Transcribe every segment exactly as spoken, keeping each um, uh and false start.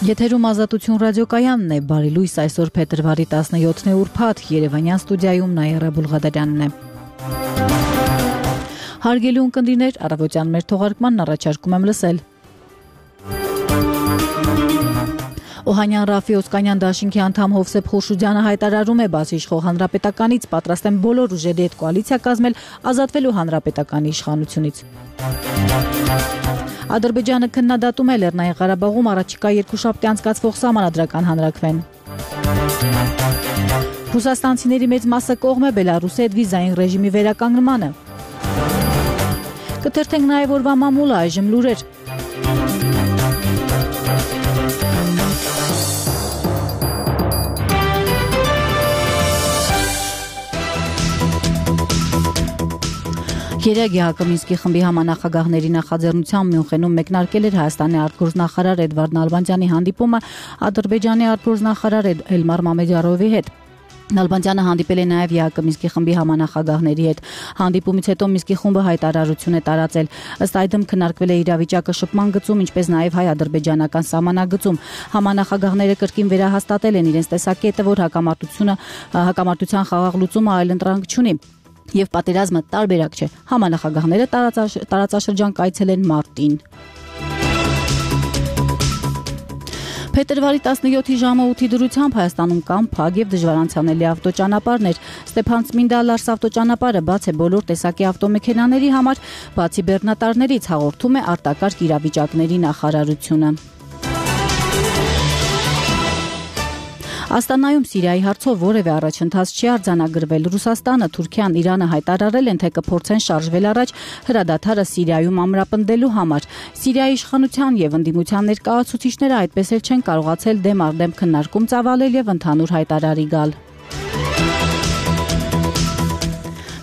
Եթերում Ազատություն ռադիոկայանն է, բարի լույս, այսօր փետրվարի տասնյոթն է ուրբաթ, Երևանյան ստուդիայում Նաիրա Բուլղադարյանն է։ Հարգելի ունկնդիրներ, առավոտյան մեր թողարկմանն առաջարկում եմ լսել։ Օհանյան Ռաֆի Օսկանյան դաշինքի անդամ Հովսեփ Խուրշուդյանը հայտարարում է, բացի իշխող հանրապետականից պատրաստ են բոլոր ուժերի հետ կոալիցիա կազմել, ազատվելու հանրապետականի իշխանությունից։ Ադրբեջանը քննադատում է Լեռնային Ղարաբաղում առաջիկա երկուշաբթի անցկացվող սահմանադրական հանրաքվեն։ Ռուսաստանցիների մեծ մասը կողմ է Բելարուսի հետ վիզային ռեժիմի վերականգնմանը։ Կթերթենք նաև օրվա մամուլը, այժմ լուրեր։ Երեկ Յակոմինսկի խմբի համանախագահների նախաձեռնությամբ Մյունխենում մեկնարկել էր Հայաստանի արտգործնախարար Էդվարդ Նալբանդյանի հանդիպումը Ադրբեջանի արտգործնախարար Էլմար Մամեդյարովի հետ։ Նալբանդյանը հանդիպել է նաև Յակոմինսկի խմբի համանախագահների հետ։ Հանդիպումից հետո Մինսկի խումբը հայտարարություն է տարածել։ Ըստ այդմ քննարկվել է իրավիճակը շփման գծում, ինչպես նաև հայ-ադրբեջանական սահմանագծում։ Համանախագահները կրկին վերահաստատել են իրենց տեսակետը, որ հակամարտությունը հակամարտության խաղաղ լուծումը այլընտրանք չունի։ Եվ պատերազմը տարբերակ չէ։ Համանախագահները տարածաշրջան կայցելեն մարտին։ Փետրվարի տասնյոթի ժամը ութի դրությամբ Հայաստանում կան փակ եւ դժվար անցանելի ավտոճանապարհներ։ Ստեփան-Ծմինդա-Լարս ավտոճանապարհը բաց է բոլոր տեսակի ավտոմեքենաների համար, բացի բեռնատարներից, հաղորդում է արտակարգ իրավիճակների նախարարությունը։ Աստանայում Սիրիայի հարցով որևէ առաջընթաց չի արձանագրվել։ Ռուսաստանը, Թուրքիան, Իրանը հայտարարել են, թե կփորձեն շարժվել առաջ հրադադարը Սիրիայում ամրապնդելու համար։ Սիրիայի իշխանության եւ ընդդիմության ներկայացուցիչները այդպես էլ չեն կարողացել դեմ առ դեմ քննարկում ծավալել եւ ընդհանուր հայտարարի գալ։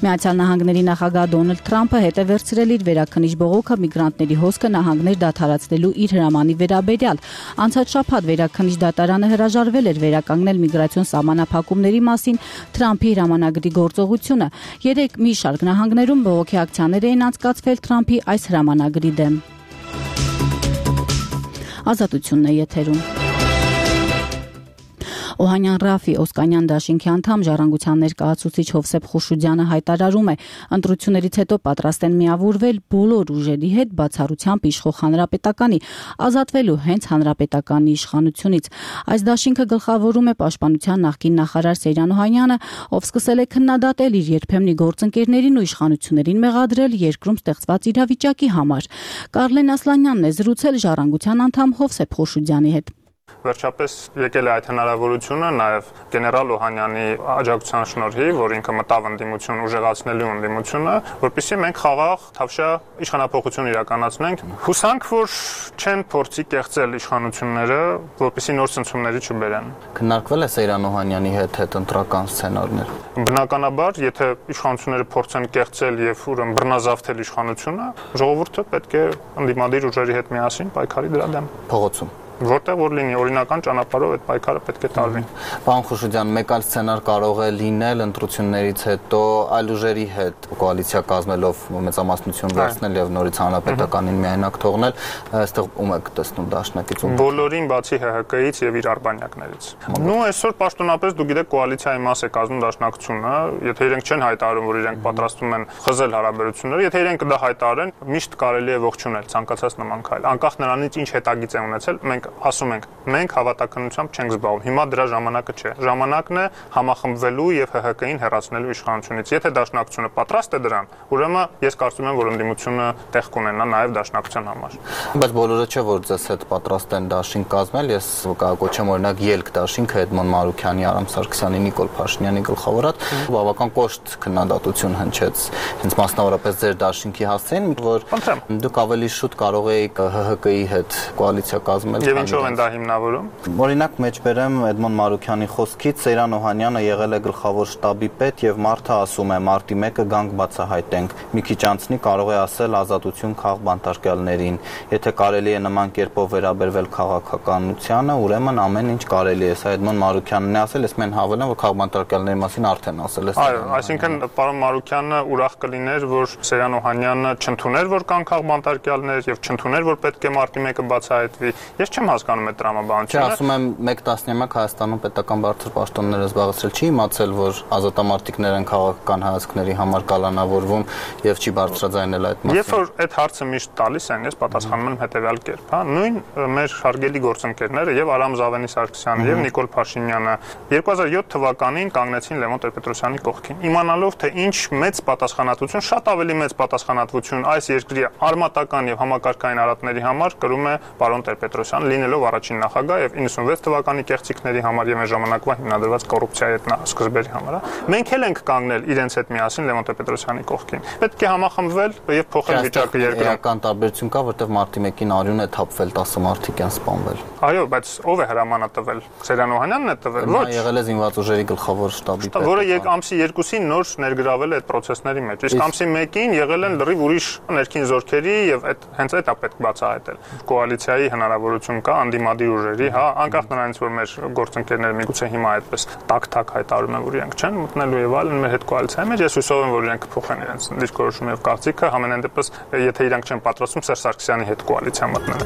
Միացյալ Նահանգների նախագահ Դոնալդ Թրամփը հետ է վերցրել իր վերաքննիչ բողոքը միգրանտների հոսքը նահանգներ դադարեցնելու իր հրամանի վերաբերյալ։ Անցած շաբաթ վերաքննիչ դատարանը հրաժարվել էր վերականգնել միգրացիոն սահմանափակումների մասին Թրամփի հրամանագրի գործողությունը։ Երեք մի շարք նահանգներում բողոքի ակցիաներ էին անցկացվել Թրամփի այս հրամանագրի դեմ։ Ազատությունն է եթերում։ Օհանյան Ռաֆի Օսկանյան դաշինքի անդամ Ժառանգության ներկայացուցիչ Հովսեփ Խուրշուդյանը հայտարարում է, ընտրություններից հետո պատրաստ են միավորվել բոլոր ուժերի հետ, բացառությամբ իշխող հանրապետականի, ազատվելու հենց հանրապետականի իշխանությունից։ Այս դաշինքը գլխավորում է Պաշտպանության նախկին նախարար Սեյրան Օհանյանը, ով սկսել է քննադատել իր երբեմնի գործընկերներին ու իշխանություններին մեղադրել երկրում ստեղծված իրավիճակի համար։ Կարլեն Ասլանյանն է զրուցել Ժառանգության անդամ Հովսեփ Խուրշուդյանի հետ։ Վերջապես եկել է այդ հնարավորությունը նաև գեներալ Օհանյանի աջակցության շնորհիվ, որ ինքը մտավ ընդդիմություն ուժեղացնելու ընդդիմությունը, որպեսզի մենք խաղաղ թավշյա իշխանափոխություն իրականացնենք։ Հուսանք, որ չեն փորձի կեղծել իշխանությունները, որպեսզի նոր ցնցումների չբերեն։ Քննարկվել է Սեյրան Օհանյանի հետ հետ ընտրական սցենարներ։ Բնականաբար, եթե իշխանությունները փորձեն կեղծել եւ ուրեմն բռնազավթել իշխանությունը, ժողովուրդը պետք է ընդդիմադիր ուժերի հետ միասին պայքարի դրա դեմ։ Փողոցում որտեղ որ լինի օրինական ճանապարհով այդ պայքարը պետք է տարվի։ Պարոն Խուրշուդյան, մեկ այլ սցենար կարող է լինել ընտրություններից հետո այլ ուժերի հետ կոալիցիա կազմելով մեծամասնություն վերցնել եւ նորից հանրապետականին միայնակ թողնել, այստեղ ում եք տեսնում դաշնակից ում։ Բոլորին բացի Հ Հ Կից եւ իր արբանյակներից։ Նու այսօր պաշտոնապես դու գիտեք կոալիցիայի մաս է կազմում դաշնակցությունը, եթե իրենք չեն հայտարարում, որ իրենք պատրաստվում են խզել հարաբերությունները, եթե իրենք դա հայտարարեն, միշտ կարելի է ողջունել ցանկացած նման քայլ, անկախ նրանից ինչ հետագիծ է ունեցել, մենք ասում ենք, մենք հավատականությամբ չենք զբաղվում։ Հիմա դրա ժամանակը չէ։ Ժամանակն է համախմբվելու եւ Հ Հ Կին հեռացնելու իշխանությունից։ Եթե դաշնակցությունը պատրաստ է դրան, ուրեմն ես կարծում եմ, որ ընդդիմությունը տեղ կունենա նաեւ դաշնակցության համար։ Բայց բոլորը չէ, որ ձեզ հետ պատրաստ են դաշինք կազմել։ Ես կկոչեմ օրինակ ելք դաշինքը Էդմոն Մարուքյանի, Արամ Սարգսյանի, Նիկոլ Փաշինյանի գլխավորած բավական կոշտ քննադատություն հնչեց հենց մասնավորապես ձեր դաշինքի հասցեին, որ դուք ավելի շուտ կարող էիք Հ Հ Կի հետ կոալիցիա կազմել։ Ինչով են դա հիմնավորում։ Օրինակ մեջբերեմ Էդմոն Մարուքյանի խոսքից Սեյրան Օհանյանը եղել է գլխավոր շտաբի պետ եւ մարդը ասում է մարտի մեկը գանք բացահայտենք։ Մի քիչ անցնի կարող է ասել ազատություն քաղ բանտարկյալներին։ Եթե կարելի է նման կերպով վերաբերվել քաղաքականությանը, ուրեմն ամեն ինչ կարելի է։ Սա Էդմոն Մարուքյանն է ասել, ես մեն հավելեմ, որ քաղ բանտարկյալների մասին արդեն ասել է։ Այո, այսինքն պարոն Մարուքյանը ուրախ կլիներ, որ Սեյրան Օհանյանը չընդուներ, որ կան քաղ բանտարկյալներ եւ չընդուներ, որ պետք է մարտի մեկը բացահայտվի։ Ես չեմ հասկանում այդ տրամաբանությունը։ Չէ, ասում եմ մեկ տասնյակ Հայաստանում պետական բարձր պաշտոնները զբաղեցրել չի իմացել, որ ազատամարտիկներ են քաղաքական հայացքների համար կալանավորվում եւ չի բարձրաձայնել այդ մասին։ Երբ որ այդ հարցը միշտ տալիս են, ես պատասխանում եմ հետեւյալ կերպ, հա, նույն մեր հարգելի գործընկերները եւ Արամ Զավենի Սարգսյանը եւ Նիկոլ Փաշինյանը երկու հազար յոթ թվականին կանգնեցին Լևոն Տեր-Պետրոսյանի կողքին, իմանալով թե ինչ մեծ պատասխանատվություն, շատ ավելի մեծ պատասխանատվություն այս երկրի արմատական եւ համակարգային արատների համար կրում է պարոն Տեր-Պետրոսյանը, լինելով առաջին նախագահ եւ իննսունվեց թվականի կեղծիքների համար եւ այս ժամանակվա հիմնադրված կոռուպցիայի հետ սկզբերի համար, մենք էլ ենք կանգնել իրենց հետ միասին Լևոն Տեր-Պետրոսյանի կողքին։ Պետք է համախմբվել եւ փոխել վիճակը երկրում։ Էական տարբերություն կա, որտեղ մարտի մեկին արյուն է թափվել, տասը մարդիկ են սպանվել։ Այո, բայց ով է հրամանը տվել։ Սերյան Օհանյանն է տվել։ Ոչ, եղել է զինված ուժերի գլխավոր շտաբի պետ, որը եկ ամսի երկուսին նոր ներգրավել է այդ process-ների մեջ։ Իսկ ամսի մեկին եղել են լրիվ ուրիշ ներքին զորքերի եւ այդ հենց այդ է պետք բացահայտել։ Կոալիցիայի հնարավորություն կա անդիմադիր ուժերի, հա, անկախ նրանից, որ մեր գործընկերները միգուցե հիմա այդպես տակ-տակ հայտարարում են, որ իրենք չեն մտնելու եւ այլն մեր հետ կոալիցիայի մեջ, ես հույսով եմ, որ իրենք կփոխեն իրենց դիրքորոշումը եւ կարծիքը, համենայն դեպս, եթե իրենք չեն պատրաստվում Սերժ Սարգսյանի հետ կոալիցիա մտնել։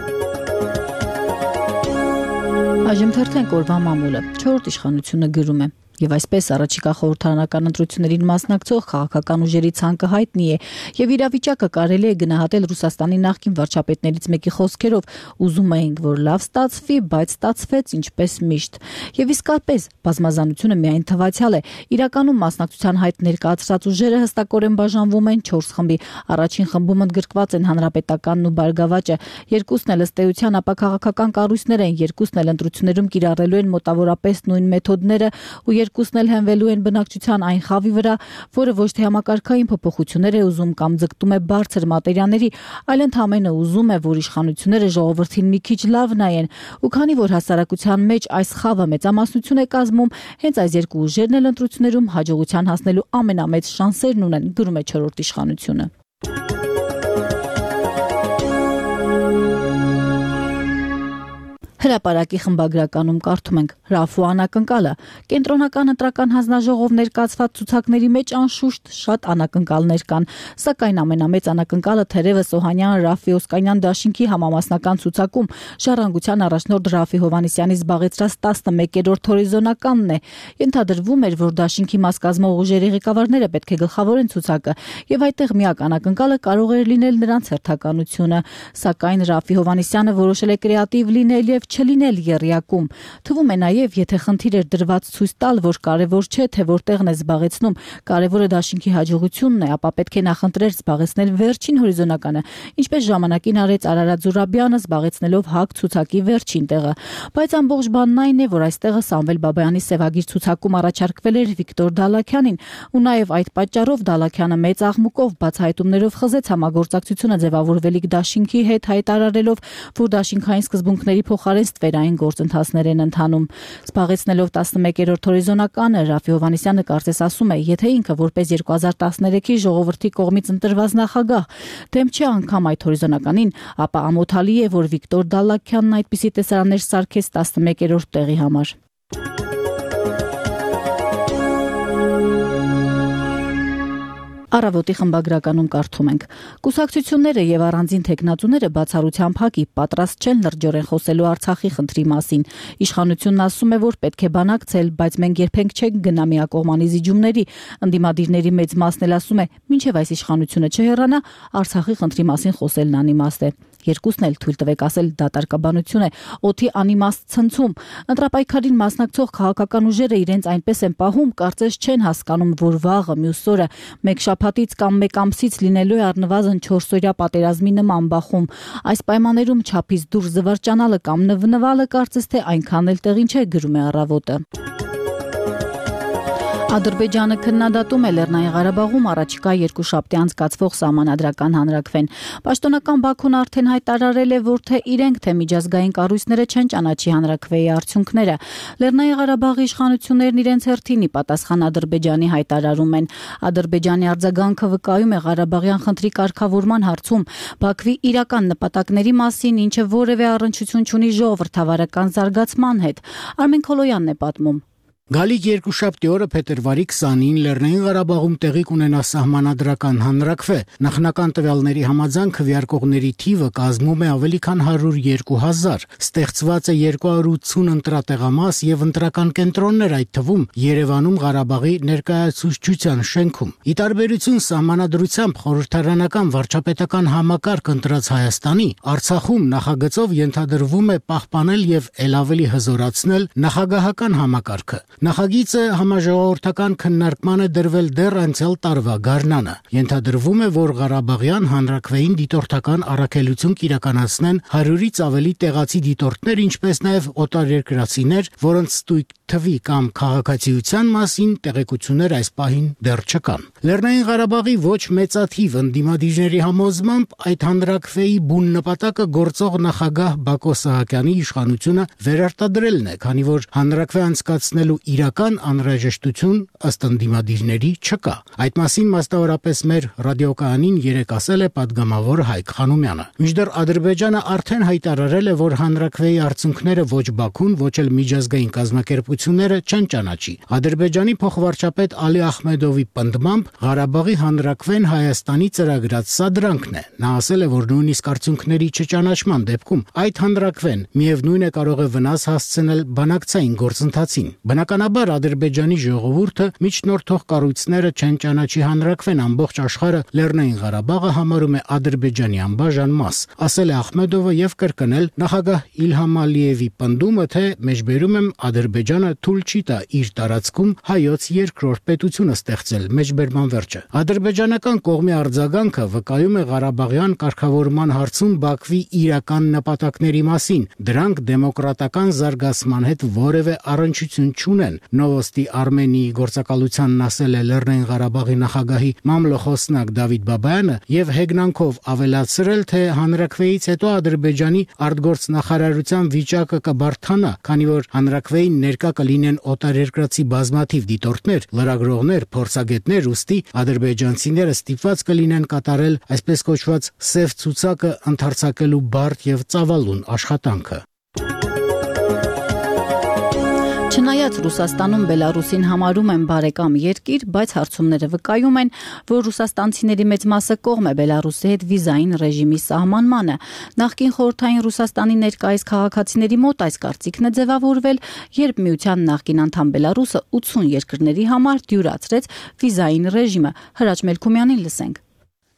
Այժմ թերթենք օրվա մամուլը։ Չորրորդ իշխանությունը գրում է. Եվ այսպես առաջիկա խորհրդարանական ընտրություններին մասնակցող քաղաքական ուժերի ցանկը հայտնի է եւ իրավիճակը կարելի է գնահատել Ռուսաստանի նախկին վարչապետներից մեկի խոսքերով. ուզում էինք, որ լավ ստացվի, բայց ստացվեց ինչպես միշտ։ Եվ իսկապես բազմազանությունը միայն թվացial է։ Իրականում մասնակցության հայտ ներկայացրած ուժերը հստակորեն բաժանվում են չորս խմբի։ Առաջին խմբում ընդգրկված են Հանրապետականն ու Բարգավաճը, երկուսն էլ ըստ էության ապա քաղաքական կառույցներ են, երկուսն էլ ընտրություններում կիրառելու են մոտավորապես նույն մեթոդները ու երկուսն էլ հենվելու են բնակչության այն խավի վրա, որը ոչ թե համակարգային փոփոխություններ է ուզում կամ ձգտում է բարձր մատերիաների, այլ ընդհանրապես ուզում է, որ իշխանությունները ժողովրդին մի քիչ լավ նայեն, ու քանի որ հասարակության մեջ այս խավը մեծամասնություն է կազմում, հենց այս երկու ուժերն էլ ընտրություններում հաջողության հասնելու ամենամեծ շանսերն ունեն, գրում է չորրորդ իշխանությունը։ Հրապարակի խմբագրականում կարդում ենք. Ռաֆու անակնկալը կենտրոնական ընտրական հանձնաժողով ներկայացված ցուցակների մեջ անշուշտ շատ անակնկալներ կան, սակայն ամենամեծ անակնկալը թերևս Օհանյան Ռաֆի Օսկանյան դաշինքի համամասնական ցուցակում ժառանգության առաջնորդ Ռաֆի Հովհաննիսյանի զբաղեցրած տասնմեկերորդ հորիզոնականն է։ Ենթադրվում էր, որ դաշինքի մաս կազմող ուժերի ղեկավարները պետք է գլխավորեն ցուցակը, եւ այդտեղ միակ անակնկալը կարող էր լինել նրանց հերթականությունը, սակայն Ռաֆի Հովհաննիսյանը որոշել է կրեատիվ լինել եւ չլինել եռյակում։ Թվում է նաև, եթե խնդիր էր դրված ցույց տալ, որ կարևոր չէ, թե որտեղն է զբաղեցնում, կարևորը դաշինքի հաջողությունն է, ապա պետք է նախընտրել զբաղեցնել վերջին հորիզոնականը, ինչպես ժամանակին արեց Արարատ Զուրաբյանը զբաղեցնելով ՀԱԿ ցուցակի վերջին տեղը։ Բայց ամբողջ բանն այն է, որ այստեղը Սամվել Բաբայանի սևագիր ցուցակում առաջարկվել էր Վիկտոր Դալաքյանին, ու նաև այդ պատճառով Դալաքյանը մեծ աղմուկով բացահայտումներով խզեց համագործակցությունը ձևավորվելիք դաշինքի հետ, հայտարարելով, որ դաշինքային սկզբունքների փոխարեն ստվերային գործընթացներ են ընթանում։ Զբաղեցնելով տասնմեկերորդ հորիզոնականը Ռաֆի Հովհաննիսյանը կարծես ասում է, եթե ինքը որպես երկու հազար տասներեքի ժողովրդի կողմից ընտրված նախագահ դեմ չէ անգամ այդ հորիզոնականին, ապա ամոթալի է, որ Վիկտոր Դալաքյանն այդպիսի տեսարաններ սարքեց տասնմեկերորդ տեղի համար։ Առավոտի խմբագրականում կարդում ենք. Կուսակցությունները եւ առանձին թեկնածուները բացառությամբ ՀԱԿ-ի պատրաստ չեն լրջորեն խոսելու Արցախի խնդրի մասին։ Իշխանությունն ասում է, որ պետք է բանակցել, բայց մենք երբեք չենք գնա միակողմանի զիջումների։ Ընդդիմադիրների մեծ մասն էլ ասում է, մինչեւ այս իշխանությունը չհեռանա, Արցախի խնդրի մասին խոսելն անիմաստ է։ Երկուսն էլ թույլ տվեք ասել դատարկաբանություն է, օդի անիմաստ ցնցում։ Ընտրապայքարին մասնակցող քաղաքական ուժերը իրենց այնպես են պահում, կարծես չեն հասկանում, որ վաղը մյուս օրը մեկ շաբաթից կամ մեկ ամսից լինելու է առնվազն չորսօրյա պատերազմի նման բախում։ Այս պայմաններում չափից դուրս զվարճանալը կամ նվնվալը կարծես թե այնքան էլ տեղին չէ, գրում է Առավոտը։ Ադրբեջանը քննադատում է Լեռնային Ղարաբաղում առաջիկա երկուշաբթի անցկացվող սահմանադրական հանրաքվեն։ Պաշտոնական Բաքուն արդեն հայտարարել է, որ թե իրենք, թե միջազգային կառույցները չեն ճանաչի հանրաքվեի արդյունքները։ Լեռնային Ղարաբաղի իշխանություններն իրենց հերթին ի պատասխան Ադրբեջանի հայտարարում են։ Ադրբեջանի արձագանքը վկայում է Ղարաբաղյան խնդրի կարգավորման հարցում Բաքվի իրական նպատակների մասին, ինչը որևէ առնչություն չունի ժողովրդավարական զարգացման հետ։ Արմեն Քոլոյանն է պատմում։ Գալիք երկուշաբթի օրը փետրվարի քսանին Լեռնային Ղարաբաղում տեղի կունենա սահմանադրական հանրաքվե։ Նախնական տվյալների համաձայն քվեարկողների թիվը կազմում է ավելի քան հարյուր երկու հազար։ Ստեղծված է երկու հարյուր ութսուն ընտրատեղամաս եւ ընտրական կենտրոններ, այդ թվում Երևանում Ղարաբաղի ներկայացուցչության շենքում։ Ի տարբերություն սահմանադրությամբ խորհրդարանական վարչապետական համակարգ ընտրած Հայաստանի, Արցախում նախագծով ենթադրվում է պահպանել եւ ել ավելի հզորացնել նախագահական համակարգը։ Նախագիծը համաժողովրդական քննարկման է դրվել դեռ անցյալ տարվա գարնանը։ Ենթադրվում է, որ Ղարաբաղյան հանրաքվեին դիտորդական առաքելություն կիրականացնեն հարյուրից ավելի տեղացի դիտորդներ, ինչպես նաև օտարերկրացիներ, որոնց ստույգ թվի կամ քաղաքացիության մասին տեղեկություններ այս պահին դեռ չկան։ Լեռնային Ղարաբաղի ոչ մեծաթիվ ընդդիմադիրների համոզմամբ այդ հանրաքվեի բուն նպատակը գործող նախագահ Բակո Սահակյանի իշխանությունը վերարտադրելն է, քանի որ հանրաքվե անցկացնելու իրական անհրաժեշտություն ըստ ընդդիմադիրների չկա։ Այդ մասին մասնավորապես մեր ռադիոկայանին երեկ ասել է պատգամավոր Հայկ Խանոմյանը։ Մինչդեռ Ադրբեջանը արդեն հայտարարել է, որ հանրաքվեի արդյունքները ոչ Բաքուն, ոչ էլ միջազգային կազմակերպությունները չեն ճանաչի։ Ադրբեջանի փոխվարչապետ Ալի Ախմեդովի պնդմամբ Ղարաբաղի հանրաքվեն Հայաստանի ծրագրած սադրանքն է։ Նա ասել է, որ նույնիսկ արդյունքների չճանաչման դեպքում այդ հանրաքվեն միևնույն է կարող է վնաս հասցնել բանակցային գործընթացին։ Բնականաբար Ադրբեջանի ժողովուրդը միջնորդող կառույցները չեն ճանաչի հանրաքվեն, ամբողջ աշխարհը Լեռնային Ղարաբաղը համարում է Ադրբեջանի անբաժան մաս, ասել է Ախմեդովը եւ կրկնել նախագահ Իլհամ Ալիևի պնդումը, թե մեջբերում եմ Ադրբեջանը թույլ չի տա իր տարածքում հայոց երկրորդ պետությունը ստեղծել, մեջբերման վերջը։ Ադրբեջանական կողմի արձագանքը վկայում է Ղարաբաղյան կարգավորման հարցում Բաքվի իրական նպատակների մասին։ Դրանք դեմոկրատական զարգացման հետ որևէ առնչություն չունեն։ Նովոստի Արմենիի գործակալությանն ասել է Լեռնային Ղարաբաղի նախագահի մամլոխոսնակ Դավիթ Բաբայանը եւ հեգնանքով ավելացրել, թե հանրաքվեից հետո Ադրբեջանի արտգործնախարարության վիճակը կբարթանա, քանի որ հանրաքվեին ներկա կլինեն օտարերկրացի բազմաթիվ դիտորդներ, լրագրողներ, փորձագետներ, ուստի ադրբեջանցիները ստիպված կլինեն կատարել այսպես կոչված սև ցուցակը ընդարձակելու բարդ եւ ծավալուն աշխատանքը։ Չնայած Ռուսաստանում Բելարուսին համարում են բարեկամ երկիր, բայց հարցումները վկայում են, որ ռուսաստանցիների մեծ մասը կողմ է Բելարուսի հետ վիզային ռեժիմի սահմանմանը։ Նախկին խորհրդային Ռուսաստանի ներկայիս քաղաքացիների մոտ այս կարծիքն է ձևավորվել, երբ միության նախկին անդամ Բելարուսը ութսուն երկրների համար դյուրացրեց վիզային ռեժիմը։ Հրաչ Մելքումյանին լսենք։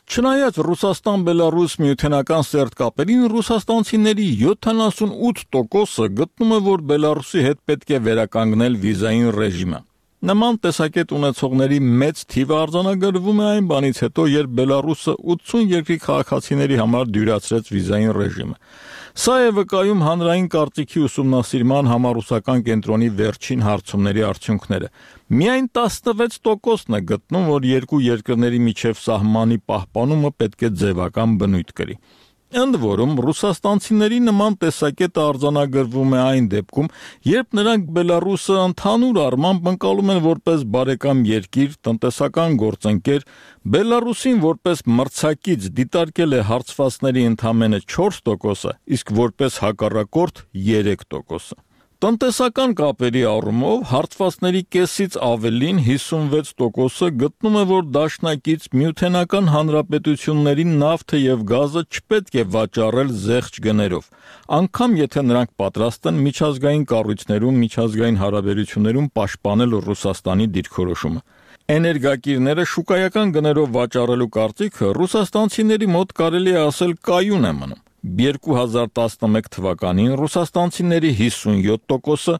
Չնայած Ռուսաստան-Բելարուս միութենական սերտ կապերին, ռուսաստանցիների յոթանասունութ տոկոսը գտնում է, որ Բելարուսի հետ պետք է վերականգնել վիզային ռեժիմը։ Նման տեսակետ ունեցողների մեծ թիվը արձանագրվում է այն բանից հետո, երբ Բելարուսը ութսուն երկրի քաղաքացիների համար դյուրացրեց վիզային ռեժիմը։ Սա է վկայում հանրային կարծիքի ուսումնասիրման համառուսական կենտրոնի վերջին հարցումների արդյունքները։ Միայն տասնվեց տոկոսն է գտնում, որ երկու երկրների միջև սահմանի պահպանումը պետք է ձևական բնույթ կրի։ Ընդ որում, ռուսաստանցիների նման տեսակետը արձանագրվում է այն դեպքում, երբ նրանք Բելարուսը ընդհանուր առմամբ ընկալում են որպես բարեկամ երկիր, տնտեսական գործընկեր, Բելարուսին որպես մրցակից դիտարկել է հարցվածների ընդամենը չորս տոկոսը, իսկ որպես հակառակորդ երեք տոկոսը։ Տնտեսական կապերի առումով հարցվածների կեսից ավելին հիսունվեց տոկոսը գտնում է, որ դաշնակից միութենական հանրապետությունների նավթը եւ գազը չպետք է վաճառել զեղչ գներով, անգամ եթե նրանք պատրաստ են միջազգային կառույցներում, միջազգային հարաբերություններում պաշտպանել Ռուսաստանի դիրքորոշումը։ Էներգակիրները շուկայական գներով վաճառելու կարծիքը ռուսաստանցիների մոտ կարելի է ասել կայուն է մնում։ երկու հազար տասնմեկ թվականին ռուսաստանցիների հիսունյոթ տոկոսը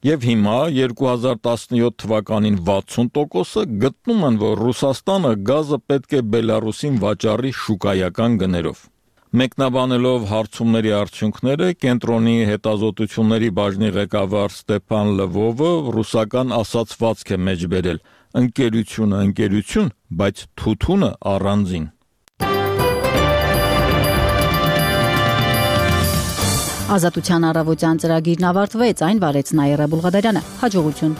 եւ հիմա երկու հազար տասնյոթ թվականին վաթսուն տոկոսը գտնում են, որ Ռուսաստանը գազը պետք է Բելարուսին վաճառի շուկայական գներով։ Մեկնաբանելով հարցումների արդյունքները, կենտրոնի հետազոտությունների բաժնի ղեկավար Ստեփան Լվովը ռուսական ասացվածք է մեջբերել. ընկերությունը ընկերություն, բայց թութունը առանձին։ Ազատության առավոտյան ծրագիրն ավարտվեց, այն վարեց Նաիրա Բուլղադարյանը։ Հաջողություն։